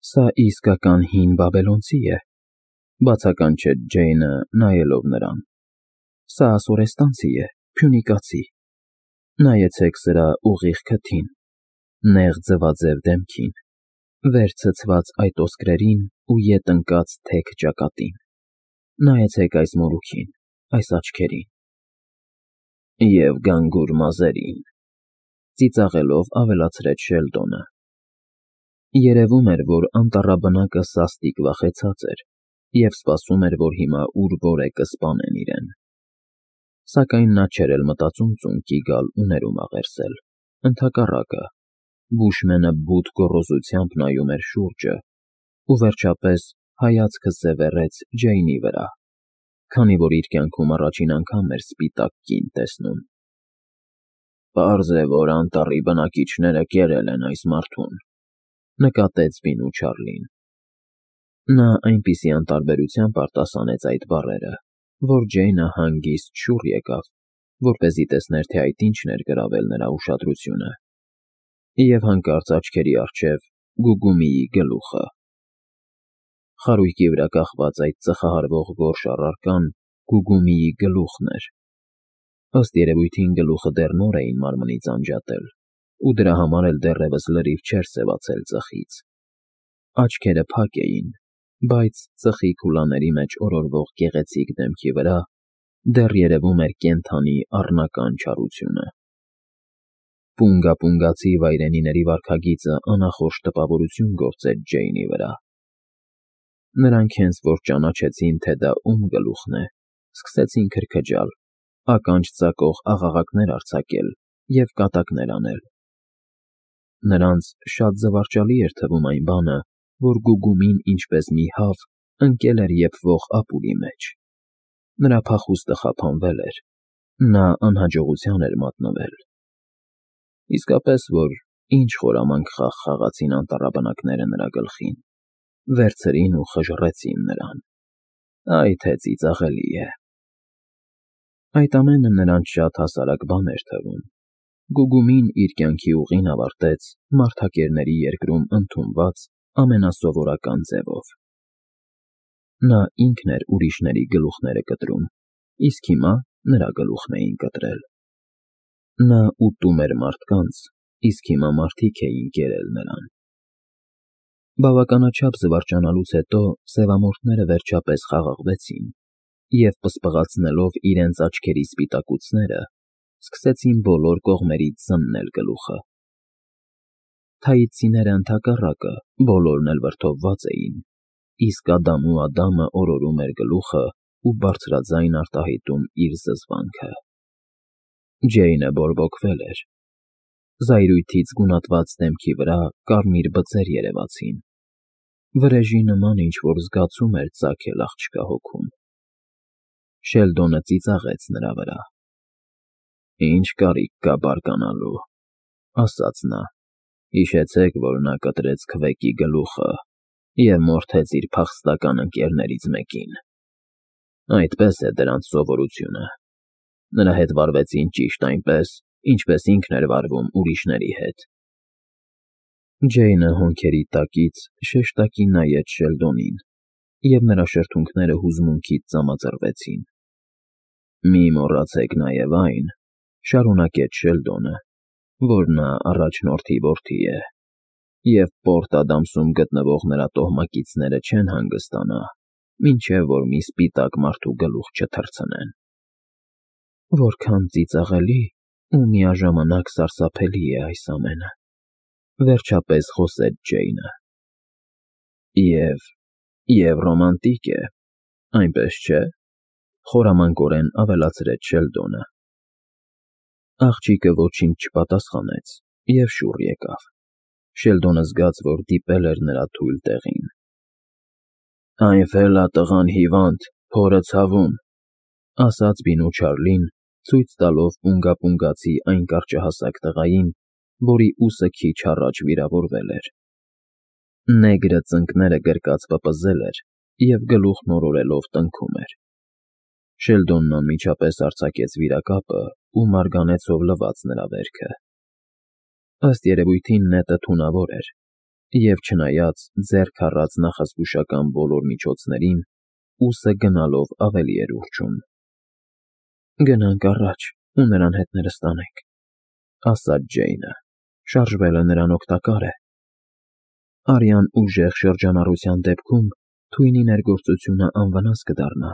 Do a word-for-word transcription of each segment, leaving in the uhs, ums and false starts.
Սա իսկական հին բաբելոնցի է,֊ բացականչեց Ջեյնը, նայելով նրան։ Սա ասորեստանցի է, փյունիկացի։ Նայեցեք սրա ուղիղ քթին, նեղ ձվաձև դեմքին, վեր ցցված այդ ոսկրերին ու ետ ընկած թեք ճակատին։ Նայեցեք այս մորուքին, այս աչքերին… Եվ գանգուր մազերին,֊ ծիծաղելով ավելացրեց Շելդոնը։ Երևում էր, որ անտառաբնակը սաստիկ վախեցած էր և սպասում էր, որ հիմա ուր֊որ է կսպանեն իրեն։ Սակայն նա չէր էլ մտածում ծունկի գալ ու ներում աղերսել, ընդհակառակը, բուշմենը բութ գոռոզությամբ նայում էր շուրջը ու, վերջապես, հայացքը սևեռեց Ջեյնի վրա, քանի որ իր կյանքում առաջին անգամ էր սպիտակ կին տեսնում։ «Պարզ է, որ անտառի բնակիչները կերել են այս մարդուն,֊ նկատեց բինու Չարլին։ Նա այնպիսի անտարբերությամբ արտասանեց այդ բառերը, որ Ջեյնը հանգիստ շուռ եկավ, որպեսզի տեսներ, թե այդ ինչն էր գրավել նրա ուշադրությունը, և հանկարծ աչքերի առջև Գուգումիի գլուխը… Խարույկի վրա կախված այդ ծխահարվող գորշ առարկան Գուգումիի գլուխն էր։ Ըստ երևույթին գլուխը դեռ նոր էին մարմնից անջատել, ու դրա համար էլ դեռևս լրիվ չէր սևացել ծխից։ Աչքերը փակ էին, բայց ծխի քուլաների մեջ օրորվող գեղեցիկ դեմքի վրա դեռ երևում էր կենդանի առնական չարությունը։ Պունգա֊պունգացի վայրենիների վարքագիծը անախորժ տպավորություն գործեց Ջեյնի վրա։ Նրանք հենց որ ճանաչեցին, թե դա ում գլուխն է, սկսեցին քրքջալ, ականջ ծակող աղաղակներ արձակել և կատակներ անել։ Նրանց շատ զվարճալի էր թվում այն բանը, որ Գուգումին ինչպես մի հավ ընկել էր եփվող ապուրի մեջ։ Նրա փախուստը խափանվել էր, նա անհաջողության էր մատնվել։ Իսկապես որ ինչ խորամանկ խաղ խաղացին անտառաբնակները նրա գլխին, վերցրին ու խժռեցին նրան… Այ թե ծիծաղելի է… Այդ ամենը նրանց շատ հասարակ բան էր թվում։ Գուգումին իր կյանքի ուղին ավարտեց մարդակերների երկրում ընդունված ամենասովորական ձևով։ Նա ինքն էր ուրիշների գլուխները կտրում, իսկ հիմա նրա գլուխն էին կտրել։ Նա ուտում էր մարդկանց, իսկ հիմա մարդիկ էին կերել նրան։ Բավականաչափ զվարճանալուց հետո սևամորթները վերջապես խաղաղվեցին և, պսպղացնելով իրենց աչքերի սպիտակուցները, սկսեցին բոլոր կողմերից զննել գլուխը։ Թաիսցիները, ընդհակառակը, բոլորն էլ վրդովված էին, իսկ Ադամու Ադամը օրորում էր գլուխը ու բարձրաձայն արտահայտում իր զզվանքը։ Ջեյնը բորբոքվել էր։ Զայրույթից գունատված դեմքի վրա կարմիր բծեր երևացին։ Վրեժի նման ինչ֊որ զգացում էր ծագել աղջկա հոգում։ Շելդոնը ծիծաղեց նրա վրա։ «Ինչ կարիք կա բարկանալու,֊ ասաց նա,֊ հիշեցեք, որ նա կտրեց Քվեկի գլուխը և մորթեց իր փախստական ընկերներից մեկին։ Այդպես է դրանց սովորությունը. նրա հետ վարվեցին ճիշտ այնպես, ինչպես ինքն էր վարվում ուրիշների հետ»։ Ջեյնը հոնքերի տակից շեշտակի նայեց Շելդոնին, և նրա շրթունքները հուզմունքից ծամածռվեցին։ «Մի մոռացեք նաև այն,֊ շարունակեց Շելդոնը,֊ որ նա առաջնորդի որդի է, և Պորտ Ադամսում գտնվող նրա տոհմակիցները չեն հանգստանա, մինչև որ մի սպիտակ մարդու գլուխ չթռցնեն»։ «Որքան ծիծաղելի ու միաժամանակ սարսափելի է այս ամենը,֊ վերջապես խոսեց Ջեյնը։ «Եվ… և ռոմանտիկ է, այնպես չէ՞,֊ խորամանկորեն ավելացրեց Շելդոնը։ Աղջիկը ոչինչ չպատասխանեց և շուռ եկավ։ Շելդոնը զգաց, որ դիպել էր նրա թույլ տեղին։ «Այն ֆելա տղան հիվանդ, փորը ցավում,֊ ասաց բինու Չարլին, ցույց տալով պունգա֊պունգացի այն կարճահասակ տղային, որի ուսը քիչ առաջ վիրավորվել էր։ Նեգրը ծնկները գրկած պպզել էր և գլուխն օրորելով տնքում էր։ Շելդոնն անմիջապես արձակեց վիրակապը ու մարգանեցով լվաց նրա վերքը։ Ըստ երևույթին նետը թունավոր էր, և չնայած ձեռք առած նախազգուշական բոլոր միջոցներին, ուսը գնալով ավելի էր ուռչում։ «Գնանք առաջ ու նրան հետները ստանենք», ասաց Ջեյնը, շարժվելը նրան օգտակար է։ Արյան ուժեղ շրջանառության դեպքում թույնի ներգործությունը անվնաս կդառնա։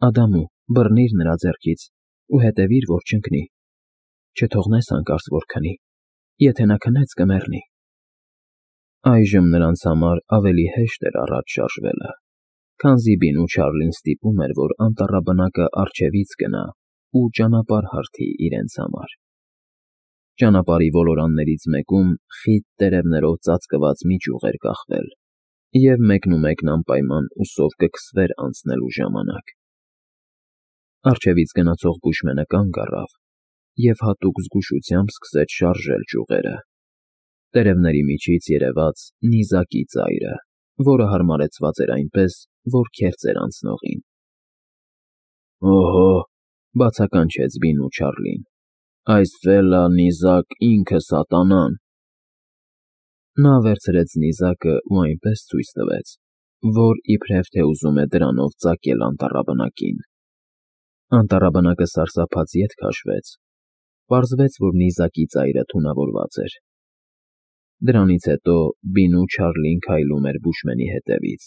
Ադամու, բռնիր նրա ձեռքից ու հետևիր, որ չընկնի։ Չթողնես հանկարծ որ քնի, եթե նա քնեց կմեռնի։ Այժմ նրանց համար ավելի հեշտ էր առաջ շարժվելը, քանզի Բինու Չարլին ստիպում էր, որ անտառաբնակը առջևից գնա ու ճանապարհ հարթի իրենց համար։ Ճանապարհի ոլորաններից մեկում խիտ տերևներով ծածկված մի ճյուղ էր կախվել, և մեկնումեկն անպայման ուսով կքսվեր անցնելու ժամանակ։ Առջևից գնացող բուշմենը կանգ առավ և հատուկ զգուշությամբ սկսեց շարժել ճյուղերը։ Տերևների միջից երևաց նիզակի ծայրը, որը հարմարեցված էր այնպես, որ քերծեր անցնողին։ «Օհո՜», բացականչեց Բինու Չարլին, «այս ֆելլա֊նիզակ ինքը սատանան»։ Նա վերցրեց նիզակը ու այնպես ցույց տվեց, որ իբրև թե ուզում է դրանով ծակել անտառաբնակին։ Անտառաբնակը սարսափած ետ քաշվեց։ Պարզվեց, որ նիզակի ծայրը թունավորված էր։ Դրանից հետո Բինու Չարլին քայլում էր բուշմենի հետևից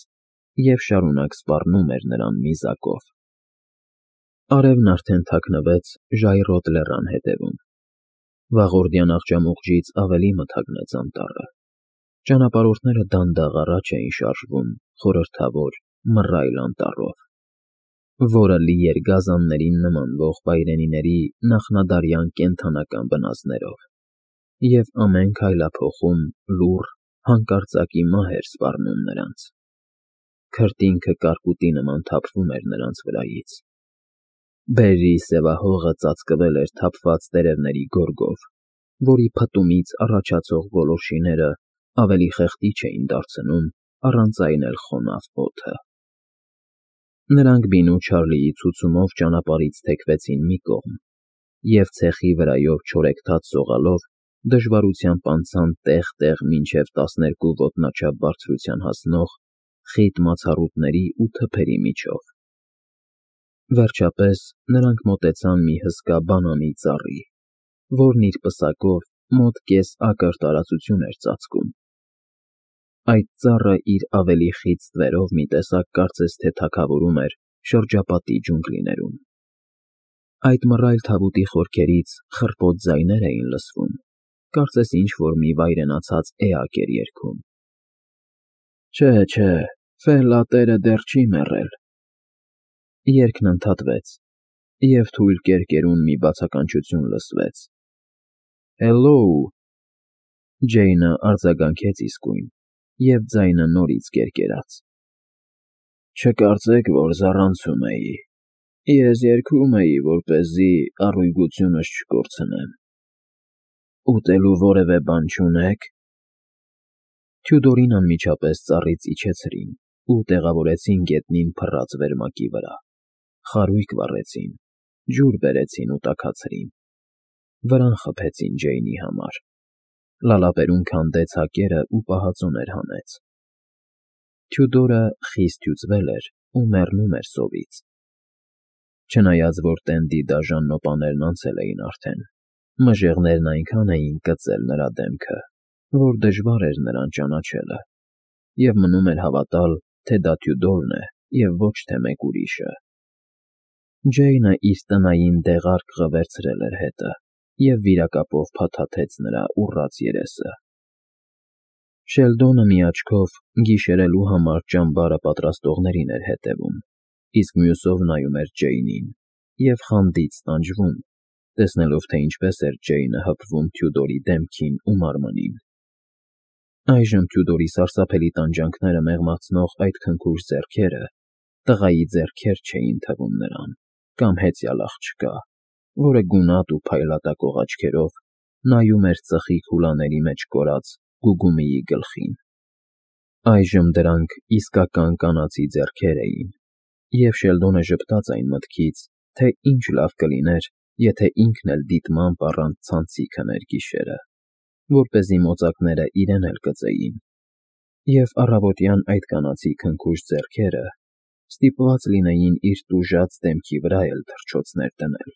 և շարունակ սպառնում էր նրան նիզակով։ Արևն արդեն թաքնվեց ժայռոտ լեռան ետևում։ Վաղորդյան աղջամուղջից ավելի մթագնեց անտառը։ Ճանապարհորդները դանդաղ առաջ էին շարժվում խորհրդավոր, մռայլ անտառով, որը լի էր գազաններին նմանվող վայրենիների նախնադարյան կենդանական բնազդներով, և ամեն քայլափոխում լուռ, հանկարծակի մահ էր սպառնում նրանց։ Քրտինքը կարկուտի նման թափվում էր նրանց վրայից։ Բերրի սևահողը ծածկվել էր թափված տերևների գորգով, որի փտումից առաջացող գոլորշիները ավելի խեղդիչ էին դարձնում առանց այն էլ խոնավ օդը։ Նրանք Բինու Չարլիի ցուցումով ճանապարհից թեքվեցին մի կողմ և ցեխի վրայով չորեքթաթ սողալով դժվարությամբ անցան տեղ֊տեղ մինչև տասներկու ոտնաչափ բարձրության հասնող խիտ մացառուտների ու թփերի միջով։ Վերջապես նրանք մոտեցան մի հսկա բանանի ծառի, որն իր պսակով մոտ կես ակր տարածություն էր ծածկում։ Այդ ծառը իր ավելի խիտ ստվերով մի տեսակ կարծես թե թագավորում էր շրջապատի ջունգլիներում։ Այդ մռայլ թավուտի խորքերից խռպոտ ձայներ էին լսվում, կարծես ինչ֊որ մի վայրենացած էակ էր երգում։ «Չէ, չէ, Ֆելլա տերը դեռ չի մեռել»։ Երգն ընդհատվեց, և թույլ կերկերուն մի բացականչություն լսվեց. «Հելլոու»։ Ջեյնը արձագանքեց իսկույն, և ձայնը նորից կերկերաց. «Չկարծեք, որ զառանցում էի։ Ես երգում էի, որպեսզի առույգությունս չկորցնեմ։ Ուտելու որևէ բան չունե՞ք»։ Թյուդորին անմիջապես ծառից իջեցրին ու տեղավորեցին գետնին փռած վերմակի վրա, խարույկ վառեցին, ջուր բերեցին ու տաքացրին։ Վրան խփեցին Ջեյնի համար։ Լալապերում քանդեց հակերը ու պահածոներ հանեց։ Թյուդորը խիստ հյուծվել էր ու մեռնում էր սովից։ Չնայած որ տենդի դաժան նոպաներն անցել էին արդեն, մժեղներն այնքան էին կծել նրա դեմքը, որ դժվար էր նրան ճանաչելը, և մնում էր հավատալ, թե դա Թյուդորն է և ոչ թե մեկ ուրիշը։ Ջեյնը իր տնային դեղարկղը վերցրել էր հետը և վիրակապով փաթաթեց նրա ուռած երեսը։ Շելդոնը մի աչքով գիշերելու համար ճամբարը պատրաստողներին էր հետևում, իսկ մյուսով նայում էր Ջեյնին և խանդից տանջվում, տեսնելով, թե ինչպես էր Ջեյնը հպվում Թյուդորի դեմքին ու մարմնին։ Այժմ Թյուդորի սարսափելի տանջանքները մեղմացնող այդ քնքուշ ձեռքերը տղայի ձեռքեր չէին թվում նրան, կամ հեծյալ աղջկա, որը գունատ ու փայլատակող աչքերով նայում էր ծխի քուլաների մեջ կորած Գուգումիի գլխին։ Այժմ դրանք իսկական կանացի ձեռքեր էին, և Շելդոնը ժպտաց այն մտքից, թե ինչ լավ կլիներ, եթե ինքն էլ դիտմամբ առանց ցանցի քներ գիշերը, որպեսզի մոծակները իրեն էլ կծեին, և առավոտյան այդ կանացի քնքուշ ձեռքերը ստիպված լինեին իր տուժած դեմքի վրա էլ թռչոցներ դնել։